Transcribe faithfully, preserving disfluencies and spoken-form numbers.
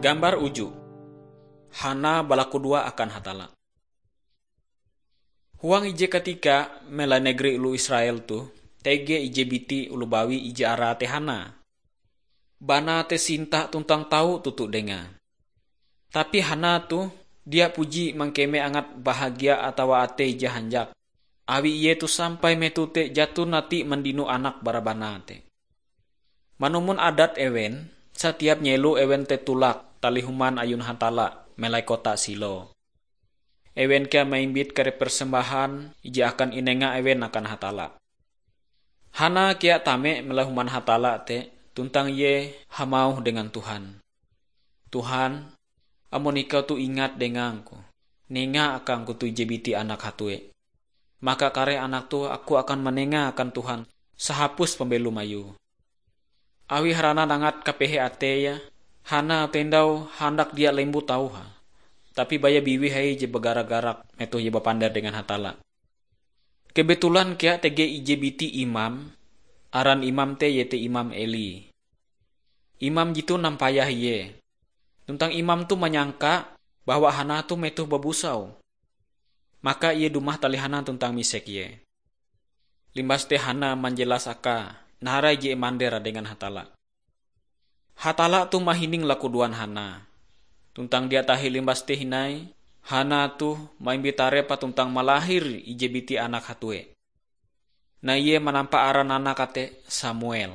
Gambar uju. Hana balakudoa akan Hatalla. Huang ije katika, mela negeri oloh Israel toh, tege ije biti oloh bawi ije arae te Hana. Banae te sinta tuntang tau toto dengae. Tapi Hana toh dia puji mangkeme angat bahagia atawa atei je hanjak, awi ie toh sampai metoh te jaton atie mandino anak bara banae te. Manumon adat ewen, satiap nyelo ewen te tolak talih human ayun Hatalla melai kota Silo. Ewen kea maimbit kare persembahan ije akan inenga ewen akan Hatalla. Hana kea tame melai human Hatalla te, tuntang ie hamauh dengan Tuhan, "Tuhan, amon ikau toh ingat dengangku, nenga akangku toh ije biti anak hatue. Maka kare anak toh aku akan manenga akan Tuhan sahapus pambelom ayue." Awi haranan angat kapehe ateie, Hana tendau handak dia lembut auhe, tapi baya biwih hai je bagara-garak metoh ie bapander dengan Hatalla. Kebetulan kea tege ije biti imam, aran imam te iete Imam Eli. Imam jetoh nampayah ie. Tuntang imam toh manyangka bahwa Hana toh metoh babusau. Maka ie dumah talih Hana tuntang misek ie. Limbas te Hana manjelas akae naharai je imander dengan Hatalla. Hatalla toh mahining lakudoan Hana. Tuntang dia tahi limbas te hindai, Hana toh maimbit tarepa tuntang malahir ije biti anak hatue. Nah, ie manampa aran anak te Samuel.